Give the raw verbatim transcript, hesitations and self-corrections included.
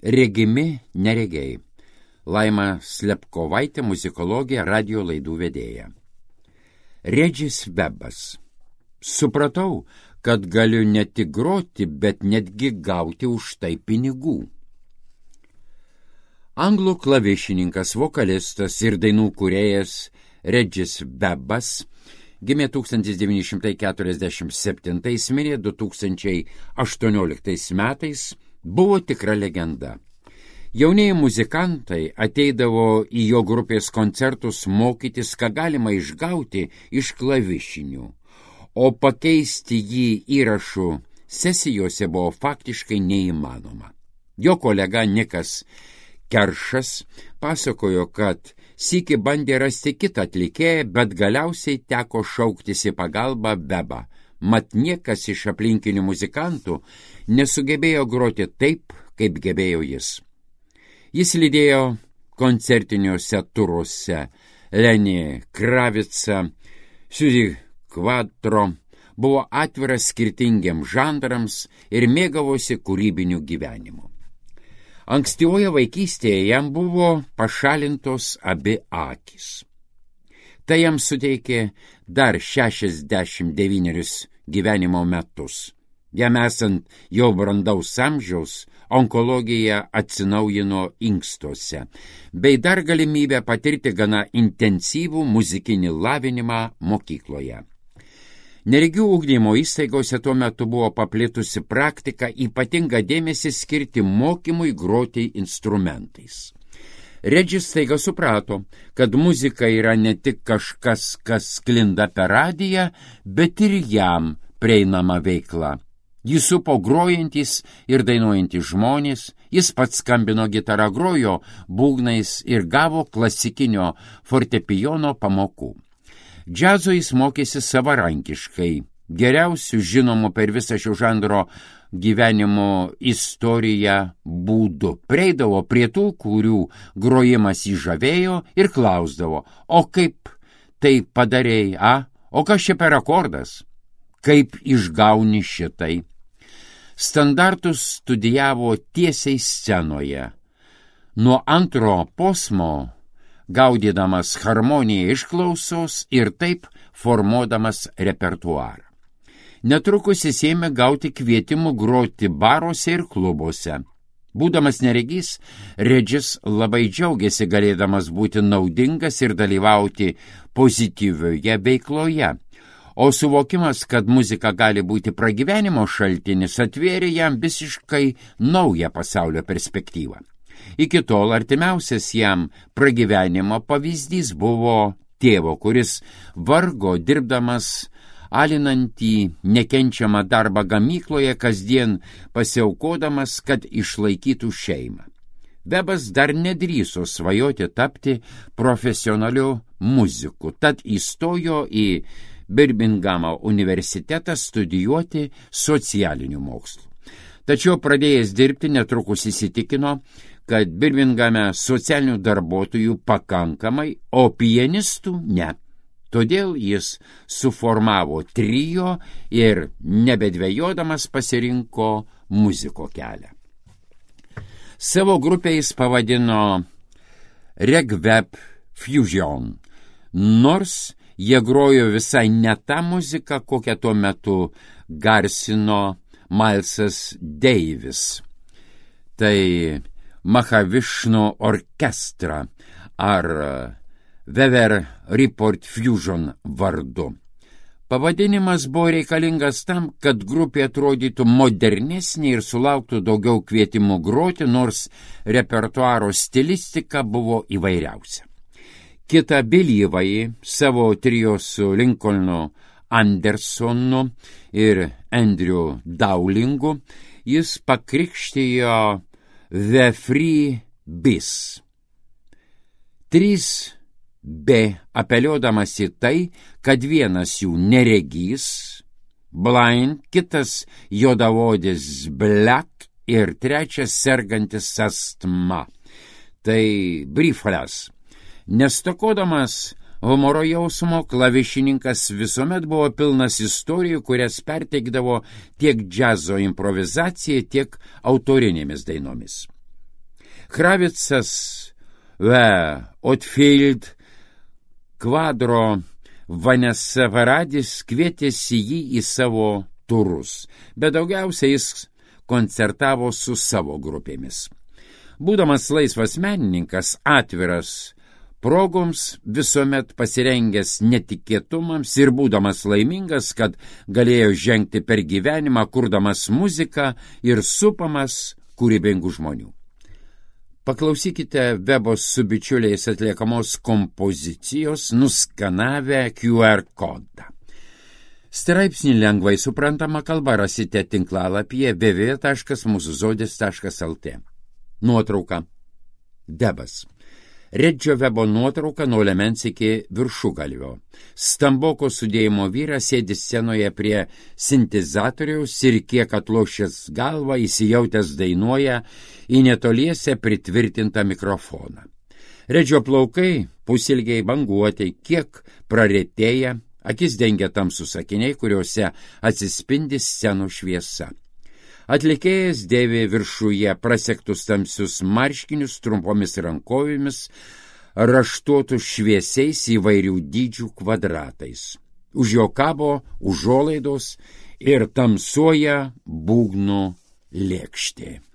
Regimi neregiai. Laima Slepkovaitė, muzikologė, radio laidų vedėja. Regis Webas. Supratau, kad galiu ne tik groti, bet netgi gauti už tai pinigų. Anglų klavišininkas, vokalistas ir dainų kūrėjas Regis Webas gimė tūkstantis devyni šimtai keturiasdešimt septintais, mirė du tūkstančiai aštuonioliktais metais, buvo tikra legenda. Jaunieji muzikantai ateidavo į jo grupės koncertus mokytis, ką galima išgauti iš klavišinių, o pakeisti jį įrašų sesijose buvo faktiškai neįmanoma. Jo kolega Nikas Keršas pasakojo, kad sykį bandė rasti kitą atlikėją, bet galiausiai teko šauktis į pagalbą Webą, mat niekas iš aplinkinių muzikantų nesugebėjo groti taip, kaip gebėjo jis. Jis lydėjo koncertiniuose turuose Lenį Kravicą, Suzy Quatro, buvo atviras skirtingiams žanrams ir mėgavosi kūrybiniu gyvenimu. Ankstyvoje vaikystėje jam buvo pašalintos abi akys. Tai jam suteikė dar šešiasdešimt devynerius gyvenimo metus. Jam esant jau brandaus amžiaus, onkologija atsinaujino inkstuose, bei dar galimybę patirti gana intensyvų muzikinį lavinimą mokykloje. Neregių ugdymo įstaigose tuo metu buvo paplitusi praktika ypatingą dėmesį skirti mokymui groti instrumentais. Regis staiga suprato, kad muzika yra ne tik kažkas, kas sklinda per radiją, bet ir jam prieinama veikla. Jis supo grojantys ir dainuojantys žmonės, jis pats skambino gitarą, grojo būgnais ir gavo klasikinio fortepijono pamokų. Džiazo jis mokėsi savarankiškai, geriausių žinomų per visą šio žanro gyvenimo istoriją būdu. Prieidavo prie tų, kurių grojimas jį žavėjo ir klausdavo, o kaip tai padarei, a? O kas čia per akordas? Kaip išgauni šitai? Standartus studijavo tiesiai scenoje. Nuo antro posmo, gaudydamas harmoniją iš klausos ir taip formuodamas repertuarą. Netrukus jis ėmė gauti kvietimų groti baruose ir klubuose. Būdamas neregys, Regis labai džiaugiasi galėdamas būti naudingas ir dalyvauti pozityvioje veikloje. O suvokimas, kad muzika gali būti pragyvenimo šaltinis, atvėrė jam visiškai naują pasaulio perspektyvą. Iki tol artimiausias jam pragyvenimo pavyzdys buvo tėvo, kuris vargo dirbdamas alinantį nekenčiamą darbą gamykloje, kasdien pasiaukodamas, kad išlaikytų šeimą. Webas dar nedrįso svajoti tapti profesionaliu muziku, tad įstojo į Birmingamo universitetą studijuoti socialinių mokslų. Tačiau pradėjęs dirbti netrukus įsitikino, kad Birmingame socialinių darbuotojų pakankamai, o pianistų ne. Todėl jis suformavo trio ir nebedvejodamas pasirinko muziko kelią. Savo grupę jis pavadino Regweb Fusion, nors jie grojo visai ne tą muziką, kokią tuo metu garsino Milesas Davis. Tai Mahavišnu orkestrą ar Weather Report Fusion vardu. Pavadinimas buvo reikalingas tam, kad grupė atrodytų modernesnė ir sulauktų daugiau kvietimų groti, nors repertuaro stilistika buvo įvairiausia. Kita Belyvai savo trio su Lincolnu Andersonu ir Andrew Dowlingu jis pakrikštijo The Free Bis. Trys B apeliuodamas į tai, kad vienas jų neregys, blind, kitas juodaodis black ir trečias sergantis astma. Tai Briefles. Nestokodamas humoro jausmo, klavišininkas visuomet buvo pilnas istorijų, kurias perteikdavo tiek džiazo improvizacija, tiek autorinėmis dainomis. Kravicas, ve, Otfield, Kvadro, Vanessa Varadis kvietėsi jį į savo turus, bet daugiausiai jis koncertavo su savo grupėmis. Būdamas laisvas menininkas, atviras progoms, visuomet pasirengęs netikėtumams ir būdamas laimingas, kad galėjo žengti per gyvenimą, kurdamas muziką ir supamas kūrybingų žmonių. Paklausykite Vebos su bičiuliais atliekamos kompozicijos nuskanavę Q R kodą. Straipsnį lengvai suprantama kalba rasite tinklalapyje w w w taškas mūsų žodis taškas l t. Nuotrauka. Debas. Redžio Vebo nuotrauka nuo liemens iki viršugalvio. Stamboko sudėjimo vyras sėdi scenoje prie sintezatoriaus ir kiek atlošęs galvą įsijautęs dainuoja į netoliese pritvirtintą mikrofoną. Redžio plaukai pusilgiai banguotai, kiek praretėja, akis dengia tamsūs akiniai, kuriuose atsispindi scenų šviesa. Atlikėjas dėvi viršuje prasektus tamsius marškinius trumpomis rankovėmis, raštuotus šviesiais įvairių dydžių kvadratais. Už jo kabo užuolaidos ir tamsuoja būgnų lėkštė.